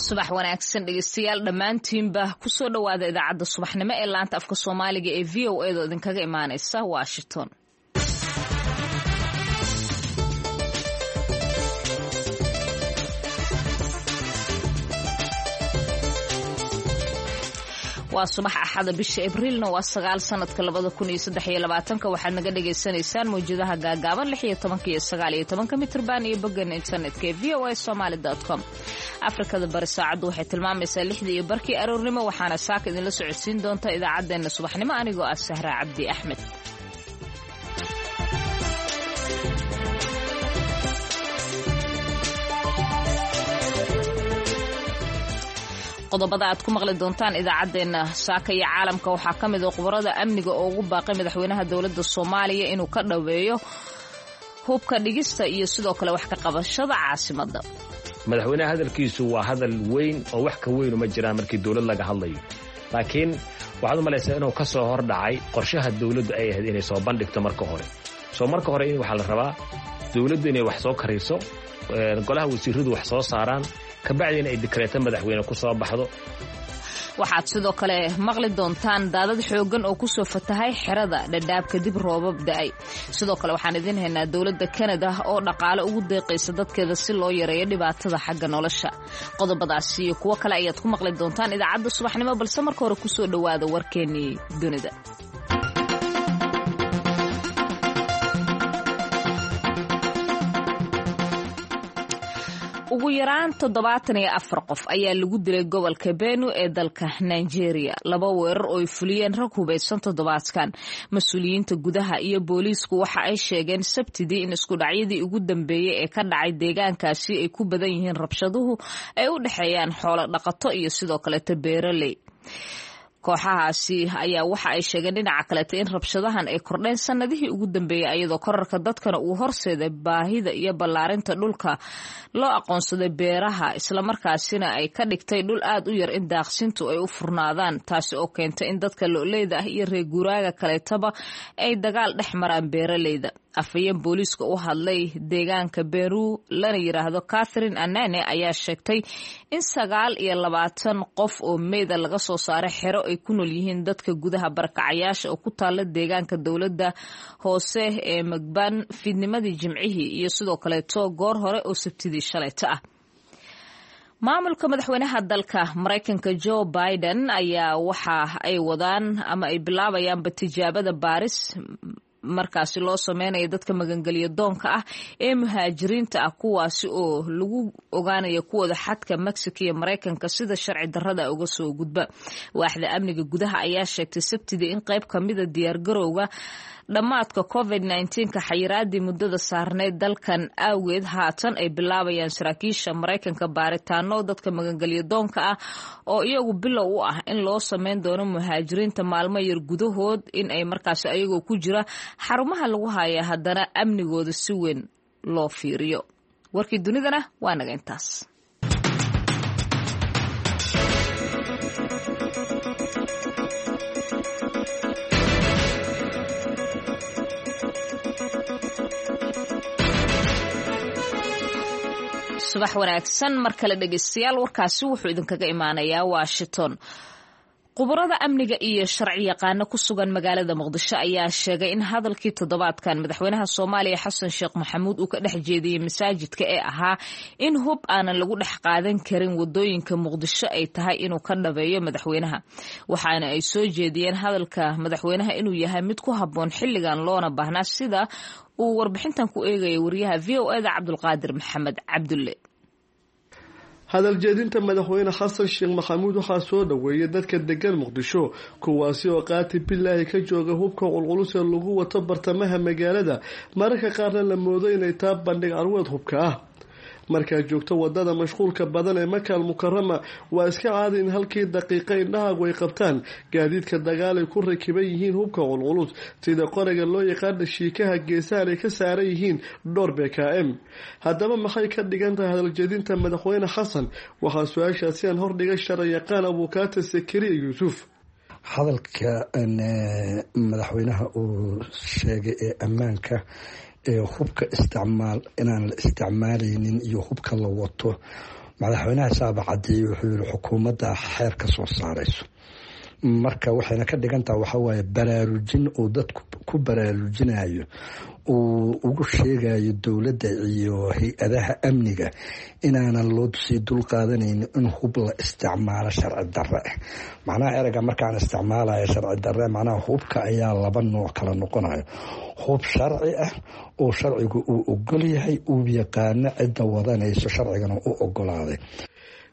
Subax wanaagsan dhegeystayaal dhammaantiinba, kusoo dhowaada idaacadda subaxnimo ee laanta afka Soomaaliga ee VOA da idinkaga imaaneysa Washington. Waa subax Axada, bisha Abriilna waa 9, sanadka 2023-ka. Waxaad naga dhagaysanaysaan mawjadaha gaagaaban 16-ka iyo 19-ka mitrban iyo boggan internetka ee voasomaly.com. Afrikada Bari saacaddu waxay tilmaamaysaa 6:30 aroornimo, waxaana saaka idinla socodsiin doonta idaacaddeenna subaxnimo anigoo ah Sahra Cabdi Axmed. Qodobada aad ku maqli doontaan idaacaddeenna saaka iyo caalamka waxaa ka mid a khubarada amniga oo ugu baaqay madaxweynaha dowladda Soomaaliya inuu ka dhaweeyo hubka dhigista iyo sidoo kale wax ka qabashada caasimadda. Madaxweynaha hadalkiisu waa hadal weyn oo wax ka weynu ma jiraan markii dowlad laga hadlayo, laakiin waxaad u malaysaa inuu ka soo hor dhacay qorshaha dowladdu ay ahayd inay soo bandhigto marka hore. Soo marka hore in waxaa la rabaa dowladdu inay wax soo kariso, golaha wasiiradu wax soo saaraan, kabacdina ay dikreeto madaxweyne ku soo baxdo. Waxaad sidoo kale maqli doontaan daadad xooggan oo kusoo fatahay xerada Dhadhaab kadib roobab da'ay. Sidoo kale waxaan idiin haynaa dowladda Kanada oo dhaqaale ugu deeqaysa dadkeeda si loo yareeyo dhibaatada xagga nolosha. Qodobadaasi iyo kuwo kale ayaad ku maqli doontaan idaacadda subaxnimo, balse marka hore kusoo dhowaada warkeennii dunida. Ugu yaraan 74 qof ayaa lagu dilay gobolka Benu ee dalka Nigeria laba weerar oo ay fuliyeen rag hubaysan toddobaadkan. Mas-uuliyiinta gudaha iyo booliisku waxa ay sheegeen Sabtidii in iskudhacyadii ugu dambeeyey ee ka dhacay deegaankaasi ay ku badan yihiin rabshaduhu ay u dhexeeyaan xoolo dhaqato iyo sidoo kaleeto beeraley. Kooxahaasi ayaa waxa ay sheegeen dhinaca kaleeta in rabshadahan ay kordheen sanadihii ugu dambeeyey, ayadoo korarka dadkana uu horseeday baahida iyo ballaarinta dhulka loo aqoonsaday beeraha, islamarkaasina ay ka dhigtay dhul aad u yar in daaqsintu ay u furnaadaan, taasi oo keentay in dadka lo'leyda ah iyo reer guuraaga kaleetaba ay dagaal dhex maraan beeraleyda. Afhayeen booliiska u hadlay deegaanka Beru lana yiraahdo Catherine Anane ayaa sheegtay in 29 qof oo meyda laga soo saaray xero ay ku nool yihiin dadka gudaha barakacayaasha oo ku taala deegaanka dowladda hoose ee Magban fiidnimadii Jimcihii iyo sidoo kaleeto goor hore oo Sabtidii shalayto ah. Maamulka madaxweynaha dalka Maraykanka Joe Biden ayaa waxa ay wadaan ama ay bilaabayaanba tijaabada baaris markaasi loo sameynaya dadka magangelyo doonka ah ee muhaajiriinta ah, kuwaasi oo lagu ogaanayo kuwooda xadka Mexico iyo Maraykanka sida sharci darrada uga soo gudba. Waaxda amniga gudaha ayaa sheegtay Sabtidii in qayb kamida diyaargarowga dhammaadka COVID 19-ka xayiraadii muddada saarneyd dalkan awgeed haatan ay bilaabayaan saraakiisha Maraykanka baaritaano dadka magangelyo doonka ah oo iyagu bilow u ah in loo sameyn doono muhaajiriinta maalmo yar gudahood in ay markaasi ayagoo ku jira xarumaha lagu haya haddana amnigooda si weyn loo fiiriyo. Warkii dunidana waa naga intaas. Subax wanaagsan mar kale dhegeystayaal, warkaasi wuxuu idinkaga imaanayaa Washington. Khubarada amniga iyo sharci yaqaano ku sugan magaalada Muqdisho ayaa sheegay in hadalkii toddobaadkan madaxweynaha Soomaaliya Xasan Sheekh Maxamuud uu ka dhex jeediyey masaajidka ee ahaa in hub aanan lagu dhex qaadan karin wadooyinka Muqdisho ay tahay inuu ka dhabeeyo madaxweynaha, waxaana ay soo jeediyeen hadalka madaxweynaha inuu yahay mid ku habboon xilligan loona baahnaa, sida uu warbixintan ku eegaya wariyaha VOA da Cabdulqaadir Maxamed Cabdulle. Hadal jeedinta madaxweyne Xasan Sheekh Maxamuud waxaa soo dhoweeyay dadka degan Muqdisho, kuwaasi oo qaati bilaahi ka jooga hubka qulqulus ee lagu wato bartamaha magaalada, mararka qaarna la moodo inay taa bandhig carweed hubka ah. Markaad joogto wadada mashquulka badan ee Makaal Mukarama, waa iska caadi in halkii daqiiqa indhahaagu ay qabtaan gaadiidka dagaal ay ku rakiban yihiin hubka qulqulus, sida qoriga loo yaqaana shiikaha, geesahan ay ka saaran yihiin dhowr BKM. Haddaba maxay ka dhigan tahay hadaljeedinta madaxweyne Xasan? Waxaa su-aashaasi aan hordhigay sharciyaqaan Abukaata Sakariya Yuusuf. Hadalka madaxweynaha uu sheegay ee ammaanka ee hubka isticmaal inaan la isticmaalaynin iyo hubka la wato Madaxweynaha saaba cadeeyey, wuxuu yihi xukuumadda xeer ka soo saarayso. Marka waxayna ka dhigantaha waxawaaye baraarujin uu dadku ku baraarujinayo, uu ugu sheegayo dowladda iyo hay-adaha amniga inaanan loo sii dul qaadanayn in hub la isticmaalo sharci darre ah. Macnaha ereyga markaan isticmaalayo sharci darre, macnaha hubka ayaa laba nooc kala noqonayo: hub sharci ah oo sharcigu uu ogol yahay, uu yaqaano cidda wadanayso, sharcigana u ogolaaday.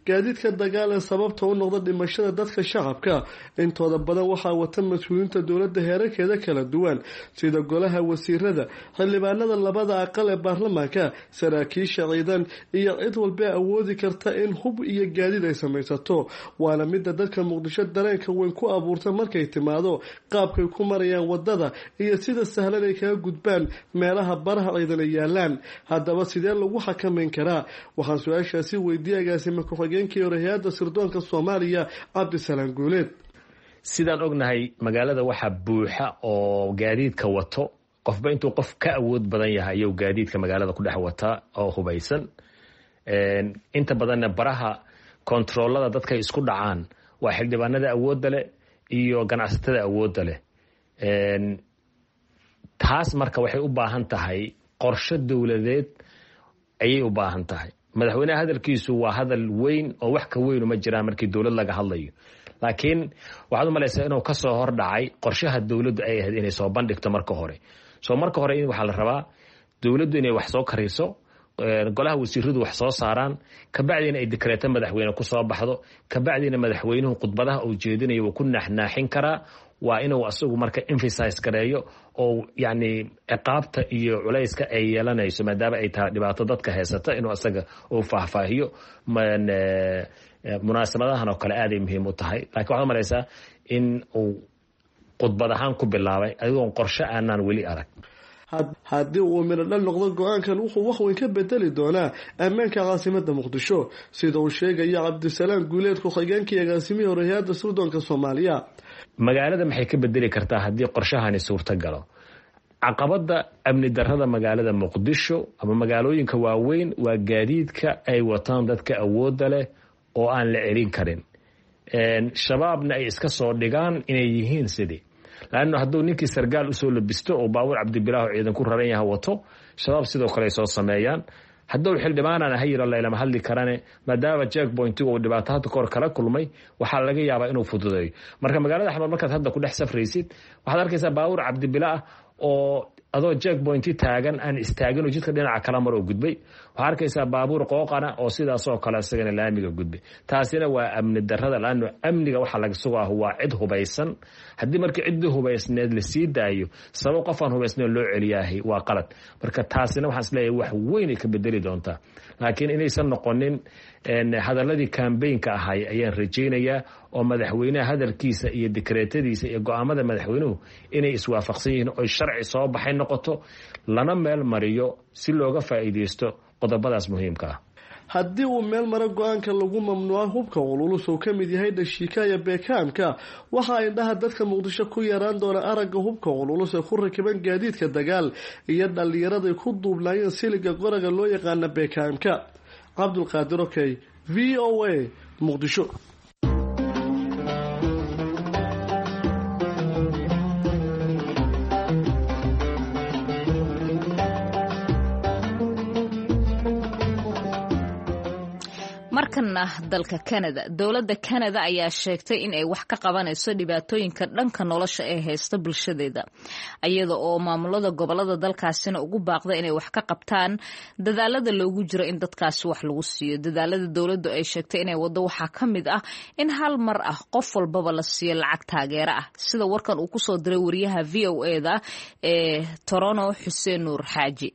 Gaadiidka dagaal ee sababta u noqda dhimashada dadka shacabka intooda badan waxaa wata mas-uuliyiinta dowladda heerarkeeda kala duwan, sida golaha wasiirada, xildhibaanada labada aqal ee baarlamaanka, saraakiisha ciidan iyo cid walba awoodi karta in hub iyo gaadiid ay samaysato. Waana midda dadka Muqdisho dareenka weyn ku abuurta markay timaado qaabkay ku marayaan wadada iyo sida sahlan ay kaga gudbaan meelaha baraha ciidan ay yaalaan. Haddaba sidee lagu xakameyn karaa? Waxaan su-aashaasi weydiiyay agaasima ku-xigeenkii hore hay-adda sirdoonka Soomaaliya, Cabdisalaan Guuleed. Sidaan ognahay, magaalada waxaa buuxa oo gaadiidka wato qofba intuu qof ka awood badan yahay ayuu gaadiidka magaalada ku dhex wataa oo hubaysan. Inta badanna baraha kontaroolada dadkay isku dhacaan waa xildhibaanada awoodda leh iyo ganacsatada awoodda leh. Taas marka waxay u baahan tahay qorshe dowladeed ayay u baahan tahay. Madaxweynaha hadalkiisu waa hadal weyn oo wax ka weynu ma jiraan markii dowlad laga hadlayo, laakiin waxaad u malaysaa inuu kasoo hor dhacay qorshaha dowladdu ay ahayd inay soo bandhigto marka hore. Soo marka hore in waxaa la rabaa dowladdu inay wax soo kariso, golaha wasiiradu wax soo saaraan, kabacdiina ay dekreeto madaxweyne ku soo baxdo, kabacdiina madaxweynuhu khudbadaha uu jeedinayo wuu ku naaxnaaxin karaa. Waa inuu asagu marka emphasize gareeyo oo yacni ciqaabta iyo culayska ay yeelanayso, maadaama ay tahay dhibaato dadka haysata, inuu asaga uu faahfaahiyo. Munaasabadahan oo kale aaday muhiim u tahay, lakin waxaad umalaysaa in uu khudbad ahaan ku bilaabay adigoon qorshe aanaan weli arag. Haddii uu midho dhal noqdo go-aankan, wuxuu wax weyn ka bedeli doonaa ammaanka caasimada Muqdisho, sida uu sheegaya Cabdisalaam Guuleed, ku-xigeenkii agaasimihii hore hay-adda sirdoonka Soomaaliya. Magaalada maxay ka bedeli kartaa haddii qorshahani suurto galo? Caqabada amni darada magaalada Muqdisho ama magaalooyinka waaweyn waa gaadiidka ay wataan dadka awoodda leh oo aan la celin karin, Shabaabna ay iska soo dhigaan inay yihiin sidii laanno hadduu ninkii sargaal usoo labisto oo baabuur Cabdibilaaho ciidan ku raran yaha wato, Shabaab sidoo kale ay soo sameeyaan. Hadduu xildhibaanaan ahay yiro laylama hadli karane, maadaama checkpointigu uu dhibaato hadda kahor kala kulmay, waxaa laga yaabaa inuu fududeeyo. Marka magaalada Xamar markaad hadda ku dhex safraysid, waxaad arkaysaa baabuur Cabdibila ah oo adoo checkpointi taagan aan istaagin oo jidka dhinaca kala mar oo gudbay. Waxaa arkaysaa baabuur qooqana oo sidaasoo kale isagana laamiga gudbay. Taasina waa amni darada, laano amniga waxaa laga sugaah waa cid hubaysan. Haddii marka ciddii hubaysneed la sii daayo, sabab qof aan hubaysneed loo celiyaahay waa qalad. Marka taasina waxaan isleeyahay wax weynay ka bedeli doontaa, laakiin inaysan noqonin hadaladii kambaynka ahay ayaan rajaynayaa, oo madaxweynaha hadalkiisa iyo dekreetadiisa iyo go-aamada madaxweynuhu inay iswaafaqsan yihiin oy sharci soo baxay noqoto, lana meel mariyo si looga faa'iidaysto qodobadaas muhiimka ah. Haddii uu meel maro go-aanka lagu mamnuuca hubka cululus uu ka mid yahay dhashiika iyo beekaamka, waxaa indhaha dadka Muqdisho ku yaraan doona aragga hubka cululus ee ku rakiban gaadiidka dagaal iyo dhallinyaraday ku duubnaayeen siliga qoraga loo yaqaana beekaamka. Cabdulqaadir Okey, VOA, Muqdisho. Markana dalka Canada. Dowladda Canada ayaa sheegtay in ay wax ka qabanayso dhibaatooyinka dhanka nolosha ee haysta bulshadeeda, iyada oo maamulada gobolada dalkaasina ugu baaqda inay wax ka qabtaan dadaalada loogu jiro in dadkaasi wax lagu siiyo. Dadaalada dowladdu ay sheegtay inay wado waxaa ka mid ah in hal mar ah qof walbaba la siiyo lacag taageero ah, sida warkan uu kusoo diray wariyaha VOA-da ee Toronto, Xuseen Nuur Xaaji.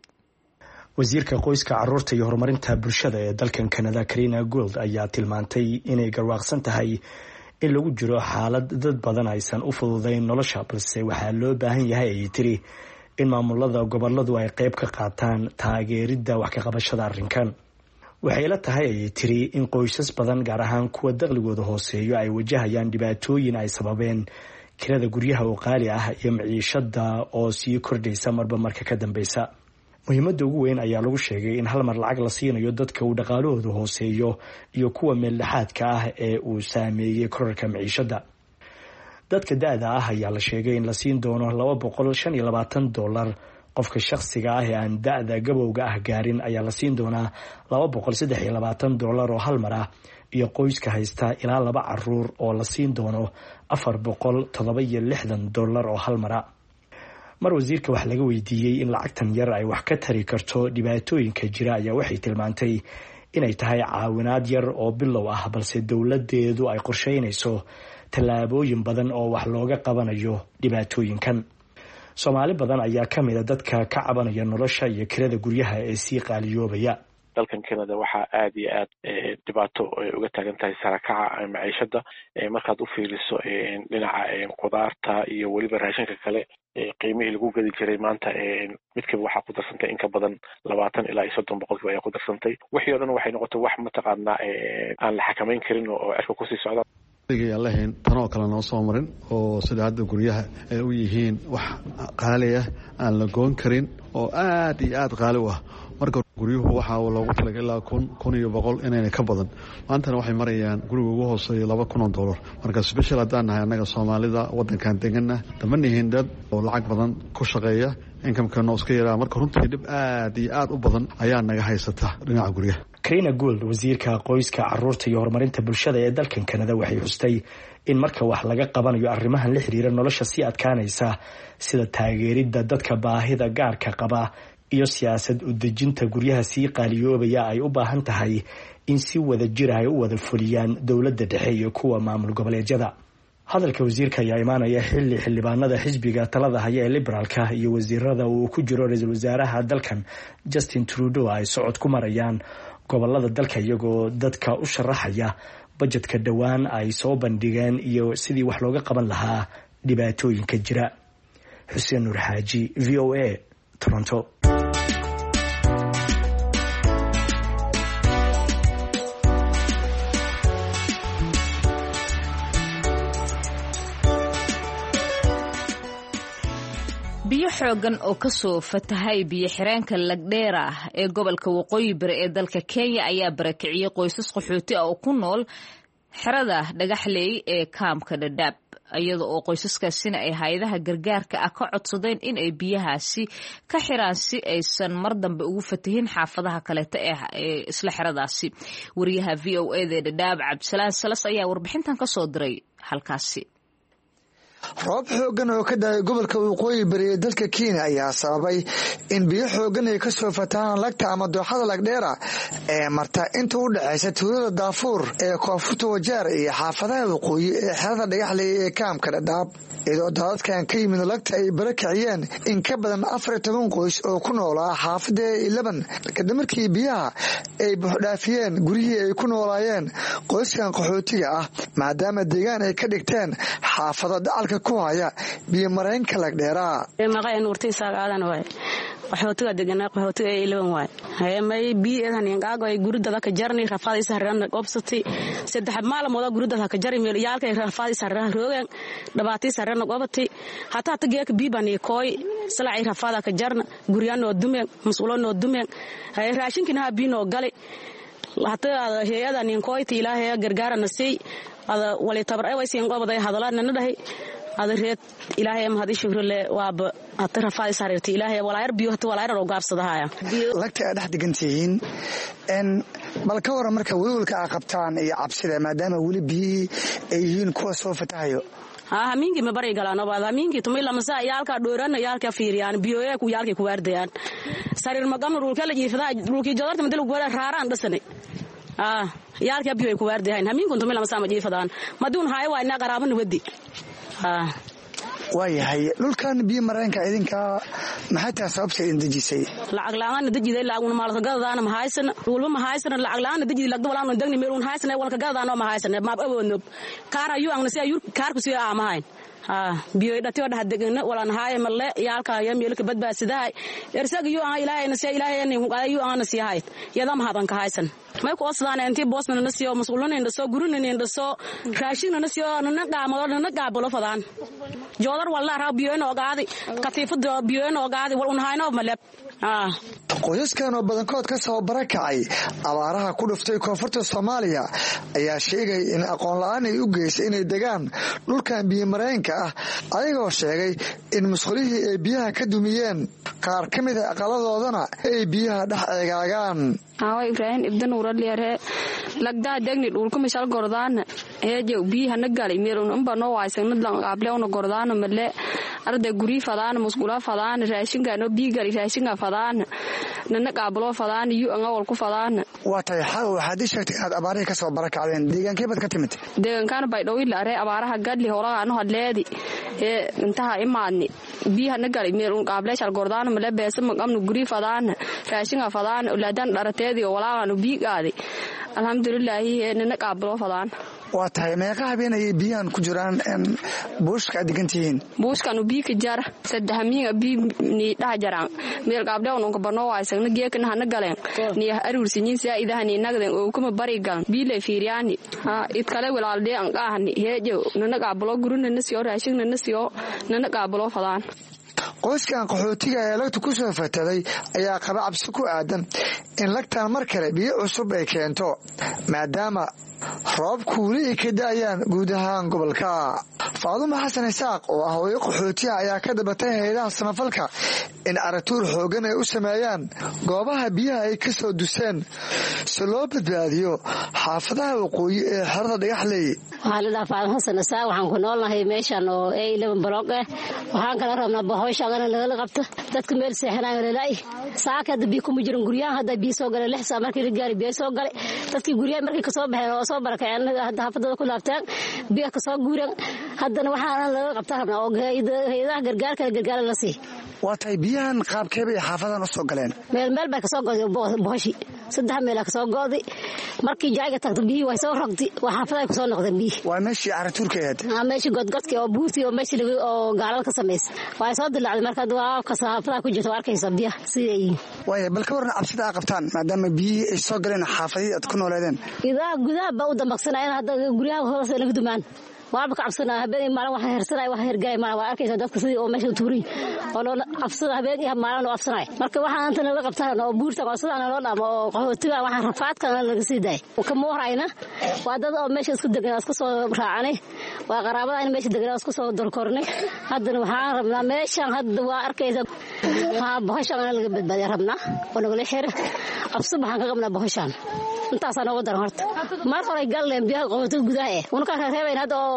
Wasiirka qoyska, caruurta iyo horumarinta bulshada ee dalkan Canada, Karina Gould, ayaa tilmaantay inay garwaaqsan tahay in lagu jiro xaalad dad badan aysan u fududayn nolosha, balse waxaa loo baahan yahay, ayay tiri, in maamulada goboladu ay qeyb ka qaataan taageeridda wax ka qabashada arrinkan. Waxay la tahay, ayay tiri, in qoysas badan, gaar ahaan kuwa daqligooda hooseeyo, ay wajahayaan dhibaatooyin ay sababeen kirada guryaha oo qaali ah iyo maciishada oo sii kordhaysa marba marka ka dambeysa. Muhiimadda ugu weyn ayaa lagu sheegay in hal mar lacag la siinayo dadka uu dhaqaalahoodu hooseeyo iyo kuwa meeldhexaadka ah ee uu saameeyey korarka maciishada. Dadka da-da ah ayaa la sheegay in la siin doono $225. Qofka shakhsiga ah ee aan da-da gabowga ah gaarin ayaa la siin doonaa $223 oo hal mar ah, iyo qoyska haysta ilaa laba caruur oo la siin doono $467 oo hal mara. Mar wasiirka wax laga weydiiyey in lacagtan yar ay wax ka tari karto dhibaatooyinka jira ayaa waxay tilmaantay inay tahay caawinaad yar oo bilow ah, balse dowladeedu ay qorsheynayso tallaabooyin badan oo wax looga qabanayo dhibaatooyinkan. Soomaali badan ayaa ka mid a dadka ka cabanaya nolosha iyo kirada guryaha ee sii qaaliyoobaya. Dalkan Canada waxaa aada iyo aad dhibaato uga taagan tahay sarakaca maciishada. Markaad u fiiriso dhinaca khudaarta iyo weliba raashinka kale, qiimihii lagu gadi jiray maanta midkiiba waxaa ku darsantay in ka badan 20 ilaa iyo 30% ayaa ku darsantay. Wixii o dhan waxay noqotay wax mataqaanaa aan la xakamayn karin oo cirka kusii socda. Aan lahayn tanoo kale noo soo marin oo sida hadda guryaha ay u yihiin wax qaali ah aan la goon karin oo aad iyo aad qaali u ah. Marka guryuhu waxaa loogu talagalay ilaa 1000, 1100 inayna ka badan. Maantana waxay marayaan guriga ugu hooseeya $2000. Marka special haddaan nahay annaga Soomaalida waddankan degana, dama nihin dad oo lacag badan ku shaqeeya, income-keena iska yaraa. Marka runtii dhib aad iyo aad u badan ayaa naga haysata dhinaca guryaha. Karina Gould, wasiirka qoyska, caruurta iyo horumarinta bulshada ee dalkan Kanada, waxay xustay in marka wax laga qabanayo arrimahan la xiriira nolosha sii adkaanaysa, sida taageeridda dadka baahida gaarka qaba iyo siyaasad udejinta guryaha sii qaaliyoobaya, ay u baahan tahay in si wada jir ay u wada fuliyaan dowladda dhexe iyo kuwa maamul goboleedyada. Hadalka wasiirka ayaa imaanaya xilli xildhibaanada xisbiga talada haya ee Liberaalka iyo wasiirada uu ku jiro ra-iisul wasaaraha dalkan Justin Trudeau ay socod ku marayaan gobolada dalka, iyagoo dadka u sharaxaya bajetka dhowaan ay soo bandhigeen iyo sidii wax looga qaban lahaa dhibaatooyinka jira. Xuseen Nuur Xaaji, VOA, Toronto. Biyo xoogan oo kasoo fatahay biyo xireenka Lagdheera ee gobolka Waqooyi Bari ee dalka Kenya ayaa barakiciyey qoysas qaxooti ah oo ku nool xerada Dhagaxley ee kaamka Dhadhaab, iyada oo qoysaskaasina ay hay-adaha gargaarka ah ka codsadeen in ay biyahaasi ka xiraan si aysan mar dambe ugu fatahin xaafadaha kaleeta ee isla xeradaasi. Wariyaha VOA-da ee Dhadhaab, Cabdisalaan Salas, ayaa warbixintan kasoo diray halkaasi. Roob xooggan oo ka daayay gobolka Waqooyi Bari ee dalka Kenya ayaa sababay in biyo xooggan ay kasoo fatahaan lagta ama dooxada Lagdheera ee marta inta u dhexaysa tuulada Daafuur ee koonfurta Wajeer iyo xaafadaha waqooyi ee xerada Dhagaxley ee kaamka Dhadhaab, iyadoo daadadkan ka yimid lagta ay bara kiciyeen in ka badan 14 qoys oo ku noolaa xaafada 11, kadib markii biyaha ay buuxdhaafiyeen guryihii ay ku noolaayeen qoyskan qaxootiga ah, maadaama deegaan ay ka dhigteen xaafado dacalka ku haya biyo mareenka Lagdheeraa. Qaxootiga deganaa, qaxootiga ee 11 waay. Haye, may biidan ingaago ay guridada ka jarni, rafaad isarran qobsati 3 maalmood guridada ka jari, meel yaalka rafaad isarran roogan, dhabaati isarran qobati. Hataa tageek biibani kooy salacay rafaada ka jarna, guriyano dumeen, mas'uulo dumeen. Haye, raashinkina ha biino galay. Hataa hay'ada nin kooyti Ilaahay gargaarana sii ada wali tabar ay waysiin qobaday hadalaadna dhahay ada reed. Ilaahay mahad shukrle, waaba hata rafaad isariirtay Ilaahay walaayar biyo hata walaayar oo gaabsadahaya. Lagta aad dhex degan tihiin n, bal ka waran marka welwelka aa qabtaan iyo cabsida, maadaama weli biyihii ay yihiin kuwa soo fatahayo? Hamiinkii ma bari galaan obaad, hamiinkii tumay lamasa yaalka dhoorana, yaalka fiiriyaan biyoye ku yaalkii ku waardayaan. Sariir maqamna, dhulka la jiifada, dhulkii jodarta madal ku raaraan dhasane. Yaalka biyo ay ku waardayahan hamiinkun tumay lamasa ma jiifadaan maduun haay waa ina qaraabana wadi. Waayahay, dhulkan biyo mareenka idinka maxay tahay sababta idin dejisay? Lacag la'aan dejiday, lacaguna maalka gadadaana ma haysana, walba ma haysana. Lacag la'aan dejiday, lagda walaan dagni meel un haysana, walka gadadaana ma haysana, maab awoodno kaar ayu angna si ayu kaar ku si aamahayn. Biyo dhatiyo dhaha degana walaan haay malle yaalka ya meelka badbaadsidahay ersaga yu aan Ilaahayna si Ilaahayna ku qaaday yu aan si hayt yada ma hadan ka haysan. May ku osdaan intii boosna na siyo, mas'uulna indhaso, gurina indhaso, raashinna na siyo, na qaamado na qaabalo fadaan joodar walla raa biyo inoo qaadi, katiifada biyo inoo qaadi, wal un hayno maleb. Qoysaskan oo badankood ka soo barakacay abaaraha ku dhuftay koonfurta Soomaaliya ayaa sheegay in aqoon la-aan ay u geysay inay degaan dhulkan biyomareenka ah, ayagoo sheegay in musqulihii ay biyaha ka dumiyeen, qaar ka mid a aqaladoodana ay biyaha dhex eegaagaan. Awa Ibraahim Ibdanuuraliare lagdaa degni dhulka mishal gordaana heejew biyihana gali meelun umba noo waaysanadlan qaablewna gordaana male arda gurii fadaana musqula fadaana raashinkaano biyi gali raashinka fadaana nana qaabloo fadaana yu angawal ku fadaana. Waa tahay xaw, waxaad ii sheegtay inaad abaarihii ka soo barakacdeen. Deegaankee baad ka timid? Deegaankaana Baydhowila aree. Abaaraha gadli horagaano hadleedi ee intaha imaadni biyihana gali meelun qaableeshal gordaana male beesa maqamnu gurii fadaana raashinka fadaana ulaadan dharateedi walaaqaanu biyi qaadi, alxamdulilaahi, nana qaabloo fadaan. Waa tahay, meeqa habeen ayay biyahan ku jiraan buushka aad degan tihiin? Buushkanu bii ka jara saddexmiinga bii ni dhaha jaraan meel qaabdhewnunka banoo waysagna geekana hana galeen ni aruursinyin saa'idaha ni nagden ookuma bari galan biilay fiiriyaani idkale walaaldee an qaahani heejow nana qaabloo gurina siyo raashinna siyo nana qaabloo fadaan. Qoyskan qaxootiga ee lagta ku soo fataday ayaa qaba cabsi ku aadan in lagtan mar kale biyo cusub ay keento, maadaama roobku weli ay ka da'ayaan guud ahaan gobolka. Faadumo Xasan Isaaq oo ah hooyo qaxootiha ayaa ka dabatay hayadaha samafalka in aratuur xoogan ay u sameeyaan goobaha biyaha ay ka soo duseen si loo badbaadiyo xaafadaha waqooyi ee xerada Dhagaxley. Waxaa la dhahaa Faadimo Xasan Isaaq. Waxaan ku noolnahay meeshan oo A11 block ah. Waxaan kala rabnaa bahooshaagana lagala qabto dadka meel seexanayo lalaay. Saaka hadda biyo kuma jiran guryahan, hadda biyo soo galay 6 saac markii la gaari biyo soo galay. Dadkii guryaha markii kasoo baxeen oo soo barakaceen, hadda xaafadada ku laabteen, biyo kasoo guureen. Haddana waxaana laga qabta rabnaa oo hayadaha gargaarka gargaara la sii. Waa tahay, biyahan qaabkee bay xaafadan u soo galeen? Meel meel bay kasoo go'day bohoshi, saddex meela kasoo go'day. Markii jayga tagto biyihii way soo rogtay, waa xaafada ay kusoo noqdeen biyihii. Waa meeshii caratuurka ahayd? Meeshii godgodkii oo buurtii oo meeshii oo gaalada ka samaysay waa soo dilaacday. Marka waa xaafadaha ku jirta, waa arkaysa biyaha sidai yihiin. Waaya, bal ka warran cabsida aa qabtaan maadaama biyihii ay soo galeen xaafadihii aad ku nooleedeen? Gudaha gudaha baa u dambaqsanaya hadda, guryaha hoos naga dumaan waaba ka cabsanaa. Habeen maalin wax hersanay, wax hergaay maalin waa arkaysa dadka sidii oo meesha tuurin oo loo cabsada, habeen iyo maalin oo cabsanay. Marka waxaan inta laga qabtaan oo buurta oo sidaan loo dhamo oo qaxootiga waxaan rafaadka laga sii daay kama warayna. Waa dad oo meesha isku degan, isku soo raacanay, waa qaraabada in meesha degan isku soo dorkornay. Haddana waxaan rabnaa meeshan hadda waa arkaysa ha bohoshan laga badbaadiya rabnaa oo nagala xira. Cabsi waxaan ka qabnaa bohoshan, intaasaa nooga daran. Horta mar hore galleen biyaha qaxootiga gudaha eh unka reebayn hadda oo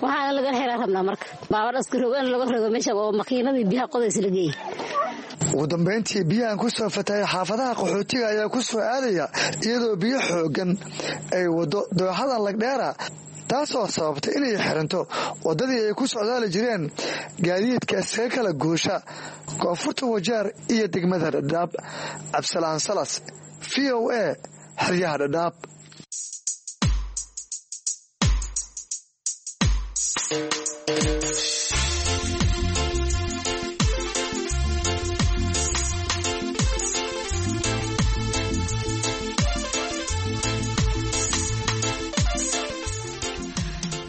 waxaana laga xeraa rabnaa. Marka baabar askarogan laga rogo meesha oo makiinadii biyaha qodaysa la geeyey. Ugu dambeyntii, biyahan ku soo fatayay xaafadaha qaxootiga ayaa ku soo aadaya iyadoo biyo xooggan ay waddo dooxada Lagdheera, taasoo sababtay inay xiranto waddadii ay ku socdaali jireen gaadiidka iskaga kala goosha koonfurta Wajeer iyo degmada Dhadhaab. Cabdisalaan Salas, VOA, xeryaha Dhadhaab.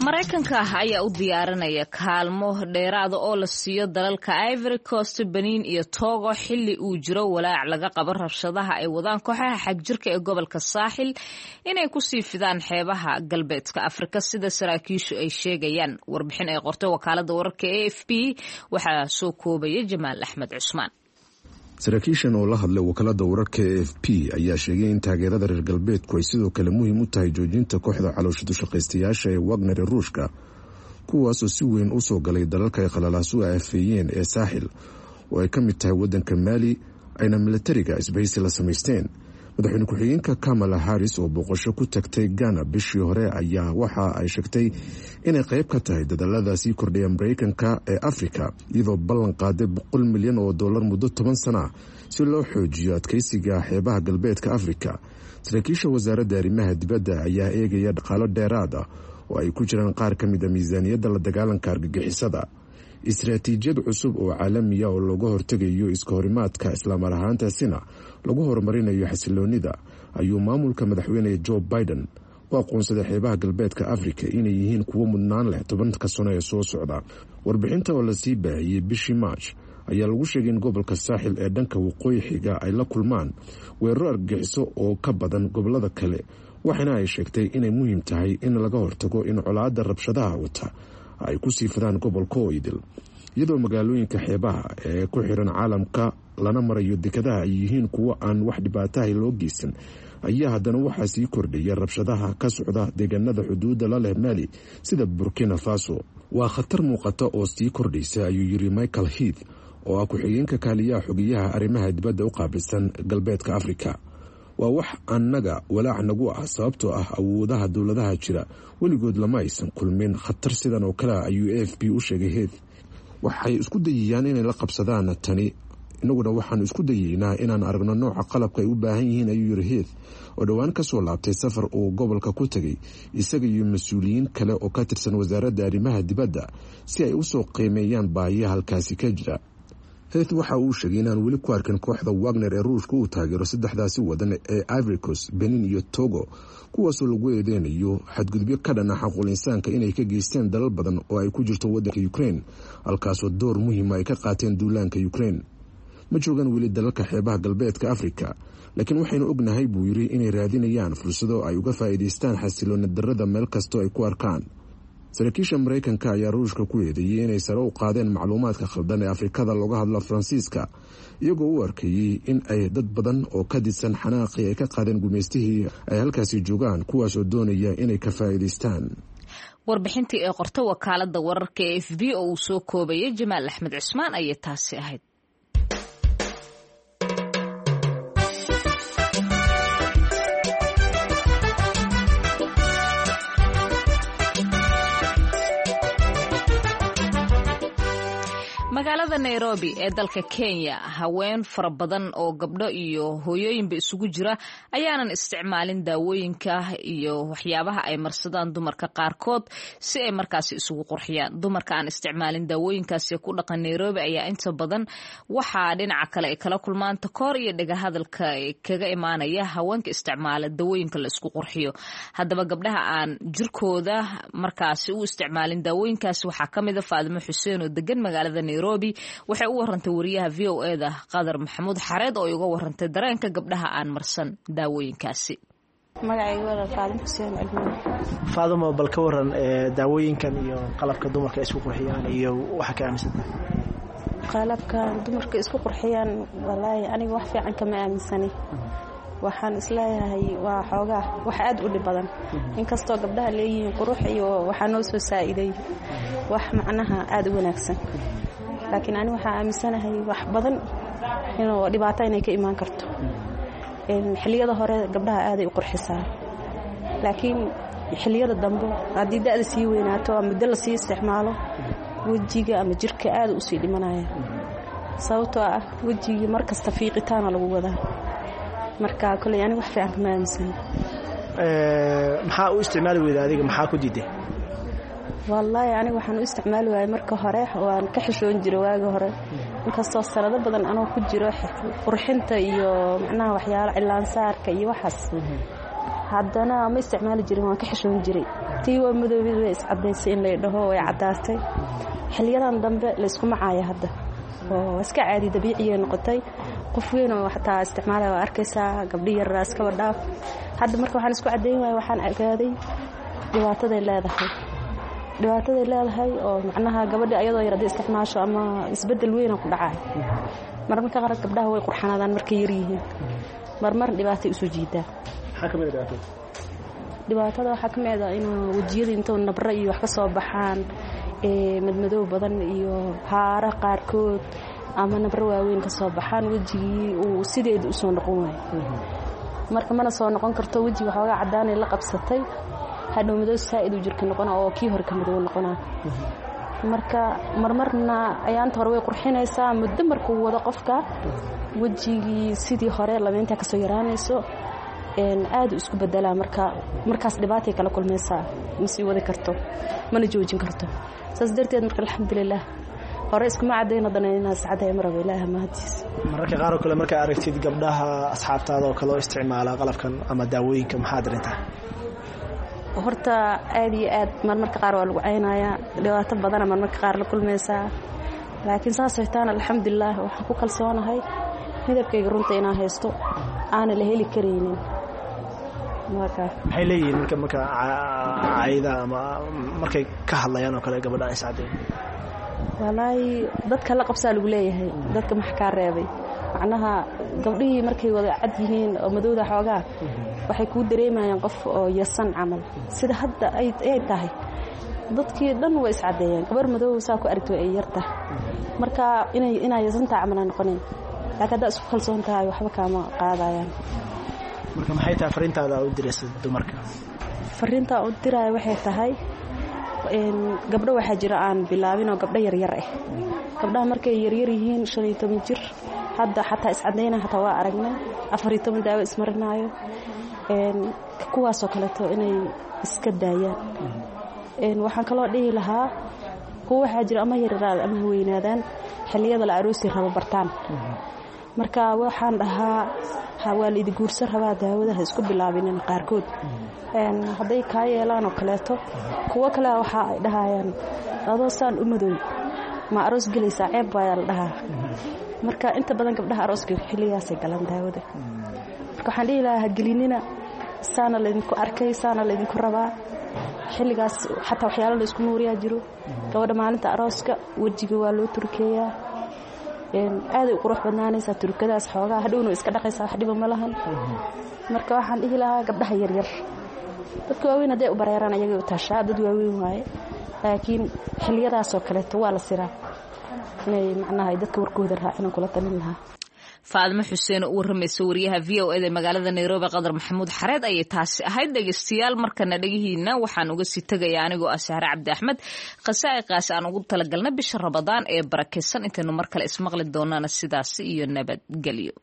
Maraykanka ayaa u diyaarinaya kaalmo dheeraada oo la siiyo dalalka Ivory Coast, Benin iyo Togo, xilli uu jiro walaac laga qabo rabshadaha ay wadaan kooxaha xagjirka ee gobolka Saaxil inay kusii fidaan xeebaha galbeedka Afrika, sida saraakiishu ay sheegayaan. Warbixin ay qortay wakaalada wararka AFP waxaa soo koobaya Jamaal Axmed Cusmaan. Saraakiishan oo la hadlay wakaalada wararka AFP ayaa sheegay in taageerada reer galbeedku ay sidoo kale muhiim u tahay joojinta kooxda caloosha dushaqaystayaasha ee Wagner ee Ruushka, kuwaasoo si weyn u soo galay dalalka ay qalalaasu aafeeyeen ee Saaxil oo ay ka mid tahay wadanka Maali, ayna milatariga isbahaysi la samaysteen. Madaxweyne ku-xigeenka Kamala Harris oo booqasho ku tagtay Ghana bishii hore ayaa waxa ay sheegtay inay qayb ka tahay dadaalada sii kordhaya Mareykanka ee Afrika, iyadoo ballan qaaday 100 milyan oo dollar muddo 10 sana ah si loo xoojiyo adkeysiga xeebaha galbeedka Afrika. Saraakiisha wasaaradda arrimaha dibadda ayaa eegaya dhaqaalo dheeraad ah oo ay ku jiraan qaar ka mid a miisaaniyadda la dagaalanka argagixisada, istaraatiijiyad cusub oo caalamiya oo looga hortegayo iska horimaadka, islaamar ahaantaasina lagu horumarinayo xasiloonida. Ayuu maamulka madaxweyne Joe Biden u aqoonsaday xeebaha galbeedka Afrika inay yihiin kuwo mudnaan leh 10-ka sano ee soo socda. Warbixinta oo lasii baahiyey bishii March ayaa lagu sheegay in gobolka Saaxil ee dhanka waqooyi xiga ay la kulmaan weeraro argagixiso oo ka badan gobolada kale, waxaana ay sheegtay inay muhiim tahay in laga hortago in colaadda rabshadaha wata ay ku sii fidaan gobolka oo idil, iyadoo magaalooyinka xeebaha ee ku xiran caalamka lana marayo dekadaha ay yihiin kuwo aan wax dhibaataha loo geysan, ayaa haddana waxaa sii kordhaya rabshadaha ka socda deegaanada xuduudda la leh Maali sida Burkina Faso. Waa khatar muuqata oo sii kordhaysa, ayuu yiri Michael Heath oo ah ku-xigeenka kaaliyaha xogeyaha arrimaha dibadda u qaabilsan Galbeedka Afrika. Waa wax annaga walaac nagu ah, sababtoo ah awoodaha dowladaha jira weligood lama aysan kulmin khatar sidan oo kale, ayuu AFP u sheegay Heath. Waxay isku dayayaan inay la qabsadaan tani, inaguna waxaanu isku dayeynaa inaan aragno nooca qalabka ay u baahan yihiin, ayuu yiri Heath oo dhowaan kasoo laabtay safar uu gobolka ku tegay isaga iyo mas-uuliyiin kale oo ka tirsan wasaaradda arrimaha dibadda si ay usoo qiimeeyaan baahiya halkaasi ka jira. Heath waxa uu sheegay inaan weli ku arkin kooxda Wagner ee Ruushka uu taageero saddexdaasi wadan ee Ivory Coast, Benin iyo Togo, kuwaasoo lagu eedeynayo xadgudubyo ka dhana xaquul insaanka inay ka geysteen dalal badan oo ay ku jirto wadanka Ukraine, halkaasoo door muhiima ay ka qaateen duulaanka Ukraine. Ma joogaan weli dalalka xeebaha Galbeedka Afrika, laakiin waxaynu ognahay, buu yiri, inay raadinayaan fursado ay uga faa'iidaystaan xasiloona darada meel kastoo ay ku arkaan. Saraakiisha Maraykanka ayaa Ruushka ku eedeeyey inay sare u qaadeen macluumaadka khaldan ee Afrikada looga hadla Faransiiska, iyagoo u arkayey in ay dad badan oo ka didsan xanaaqii ay ka qaadeen gumaystihii ay halkaasi joogaan, kuwaasoo doonaya inay ka faa'iidaystaan. Warbixintii ee qorta wakaalada wararka ee AFP oo uu soo koobayay Jamaal Axmed Cusmaan ayay taasi ahayd. Magaalada Nairobi ee dalka Kenya, haween fara badan oo gabdho iyo hooyooyinba isugu jira ayaanan isticmaalin daawooyinka iyo waxyaabaha ay marsadaan dumarka qaarkood si ay markaasi isugu qurxiyaan. Dumarka aan isticmaalin daawooyinkaasi ku dhaqan Nairobi ayaa inta badan waxaa dhinaca kale ay kala kulmaan takoor iyo dhagahadalka kaga imaanaya haweenka isticmaala daawooyinka la isku qurxiyo. Haddaba, gabdhaha aan jirkooda markaasi u isticmaalin daawooyinkaasi waxaa ka mid a Faadimo Xuseen oo degan magaalada Nairobi. Waxay u warantay wariyaha VOA-da Qadar Maxamuud Xareed oo ay uga warantay dareenka gabdhaha aan marsan daawooyinkaasi. Magacayga walaal Faadimo Xuseen Cilmiye. Faadimo, bal ka waran daawooyinkan iyo qalabka dumarka isku qurxiyaan iyo waxa ka aaminsantahay? Qalabkan dumarka isku qurxiyaan, walaahi aniga wax fiican kama aaminsani. Waxaan isleeyahay waa xoogaa wax aad u dhib badan, inkastoo gabdhaha leeyihiin qurux iyo waxaa noo soo saa'iday wax macnaha aad u wanaagsan, laakiin ani waxaa aaminsanahay wax badan inuu dhibaato inay ka imaan karto. Xilliyada hore gabdhaha aaday u qurxisaa, laakiin xilliyada dambe haddii da'da sii weynaato ama muddo lasii isticmaalo, wejiga ama jirka aada usii dhimanaya, sababtoo ah wejigii mar kasta fiiqitaana lagu wadaa. Marka koley aniga wax fiican kama aaminsana. Maxaa u isticmaali weyda adiga? Maxaa ku diiday? Wallaahi aniga waxaan u isticmaali waayey, marka hore waan ka xishoon jiray waagi hore, inkastoo sanado badan anoo ku jiro qurxinta iyo macnaha waxyaalo cilaansaarka iyo waxaas, haddana ma isticmaali jirin, waan ka xishoon jiray. Tii waa madoobid, way iscadaysay in lay dhaho, way caddaatay. Xiliyadan dambe layskuma caaya hadda oo iska caadi dabiiciyay noqotay. Qof weyn oo xataa isticmaalaya waa arkaysaa, gabdhi yaraa iskaba dhaaf. Hadda marka waxaan isku caddayn waaya, waxaan ogaaday dhibaataday leedahay, dhibaataday leedahay oo macnaha gabadha ayadoo yar haddii isticmaasho ama isbeddel weyna ku dhacay. Marmarka qaar gabdhaha way qurxanaadaan markay yar yihiin, marmar dhibaatay usoo jiidaa. Maxaa ka mid a dhibaatada? Dhibaatada waxaa ka mid ah inuu wejiyada intuu nabro iyo wax ka soo baxaan, madmadow badan iyo haaro qaarkood ama nabro waaweyn ka soo baxaan, wejigii uu sideeda usoo noqon waayo. Marka mana soo noqon karto, wejiga waxoogaa caddaanay la qabsatay, hadhow madow saa'id uu jirka noqona oo kii hore ka madow noqonaa. Marka marmarna ayaanta hore way qurxinaysaa, muddo markuu wado qofka wejigii sidii hore lameyntaa kasoo yaraanayso, aad u isku bedelaa. Marka markaas dhibaatay kala kulmaysaa, ma sii wadi karto mana joojin karto. Saas darteed marka alxamdulilah hore iskuma cadayn, haddana inaas caday maraba, Ilaaha mahadiis. Mararka qaar oo kale markaa aragtid gabdhaha asxaabtaada oo kale oo isticmaala qalabkan ama daawooyinka, maxaa darintaa? Horta aad iyo aad marmarka qaar waa lagu caynayaa, dhibaato badana marmarka qaar la kulmaysaa. Laakiin saasay taana alxamdulilaah waxaan ku kalsoonahay midabkayga runta inaan haysto, aana la heli karaynin. Maxay leeyihiin marka cayda ama markay ka hadlayaan oo kale gabadha iscadeey? Walaahi dadka la qabsaa lagu leeyahay, dadka max kaa reebay? Macnaha gabdhihii markay wada cad yihiin oo madowda xoogaa waxay kuu dareemayaan qof oo yasan camal. Sida hadda ay tahay dadkii dhan way iscadeeyeen, gabar madow saa ku aragto ay yartahay. Marka inaa yasantaa camal ay noqonayn, laakiin haddaa isku kalsoon tahay waxba kaama qaadayaan. Marka maxay tahay fariintaada u diraysa dumarka? Fariintaa u diraya waxay tahay gabdho waxaa jira aan bilaabin oo gabdho yaryar ah. Gabdhaha markay yaryar yihiin 15 jir hadda xataa iscadayna, xataa waa aragnay 14 daawo ismarinaayo, kuwaasoo kaleeto inay iska daayaan. Waxaan kaloo dhihi lahaa kuwa waxaa jira ama yaryaraada ama haweynaadaan xilliyada la aroosi rabo bartaan. Marka waxaan dhahaa waa la idi guursan rabaa, daawada ha isku bilaabinin. Qaarkood hadday kaa yeelaan oo kaleeto, kuwo kale waxa ay dhahayaan adoo saan u madow ma aroos gelaysaa, ceeb baayaa la dhahaa. Marka inta badan gabdhaha arooska xilligaasay galaan daawada. Marka waxaan dhihi lahaa ha gelinina, saana laydinku arkay, saana laydinku rabaa. Xilligaas xataa waxyaalo la isku nuuriyaa jiro. Gabadha maalinta arooska wejiga waa loo turkeeyaa, aaday u qurux badnaanaysaa turkadaas xoogaa, hadhowna iska dhaqaysaa, wax dhiba ma lahan. Marka waxaan dhihi lahaa gabdhaha yaryar, dadka waaweyn hadday u bareeraan ayagay u taashaa, dad waaweyn waaye, laakiin xilliyadaasoo kaleeto waa la siraa inay macnaha ay dadka warkooda raacin kula talin lahaa. Faadmo Xuseen oo u waramaysa wariyaha VOA da magaalada Nairobi Qadar Maxamuud Xareed ayay taasi ahayd. Dhegeystayaal, markana dhegihiina waxaan uga sii tegayaa anigoo ah Sahre Cabdi Axmed khasaa'iqaas aan ugu talagalnay bisha Ramadaan ee barakaysan. Intaynu mar kale ismaqli doonana sidaasi iyo nabadgelyo.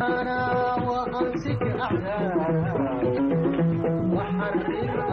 أنا وأمسك أعداء وحرر.